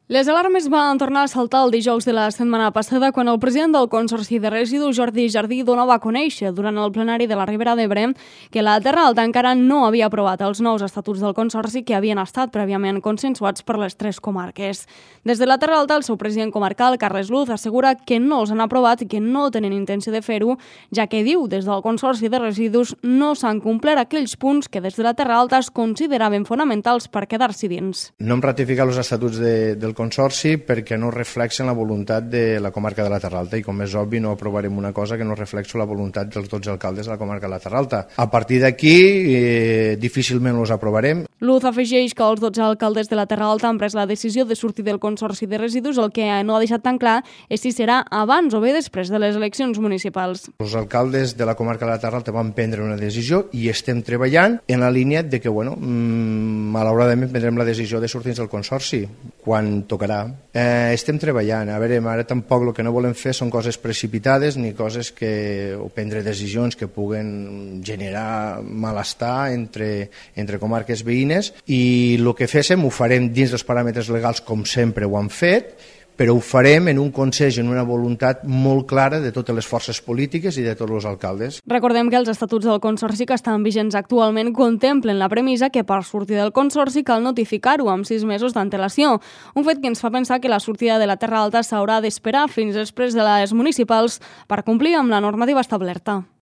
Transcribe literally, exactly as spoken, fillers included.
Les alarmes van tornar a saltar el dijous de la setmana passada quan el president del Consorci de Residus, Jordi Jardí, donava a conèixer durant el plenari de la Ribera d'Ebre que la Terra Alta encara no havia aprovat els nous estatuts del Consorci que havien estat prèviament consensuats per les tres comarques. Des de la Terra Alta, el seu president comarcal, Carles Luz, assegura que no els han aprovat i que no tenen intenció de fer-ho, ja que diu des del Consorci de Residus no s'han complert aquells punts que des de la Terra Alta es consideraven fonamentals per quedar-s'hi dins. No hem ratificat els estatuts de, del Consorci perquè no reflexen la voluntat de la comarca de la Terra Alta i, com és obvi, no aprovarem una cosa que no reflexa la voluntat dels dotze alcaldes de la comarca de la Terra Alta. A partir d'aquí, eh, difícilment els aprovarem. Luz afegeix que els dotze alcaldes de la Terra Alta han pres la decisió de sortir del Consorci de Residus, el que no ha deixat tan clar és si serà abans o bé després de les eleccions municipals. Els alcaldes de la comarca de la Terra Alta van prendre una decisió i estem treballant en la línia de que, bueno, mmm, malauradament prendrem la decisió de sortir del Consorci quan tocarà. Eh, estem treballant. A veure, ara tampoc el que no volem fer són coses precipitades ni coses que, o prendre decisions que puguen generar malestar entre, entre comarques veïnes, i el que féssim ho farem dins dels paràmetres legals com sempre ho han fet, però ho farem en un consens i en una voluntat molt clara de totes les forces polítiques i de tots els alcaldes. Recordem que els estatuts del Consorci que estan vigents actualment contemplen la premissa que per sortir del Consorci cal notificar-ho amb sis mesos d'antelació, un fet que ens fa pensar que la sortida de la Terra Alta s'haurà d'esperar fins després de les municipals per complir amb la normativa establerta.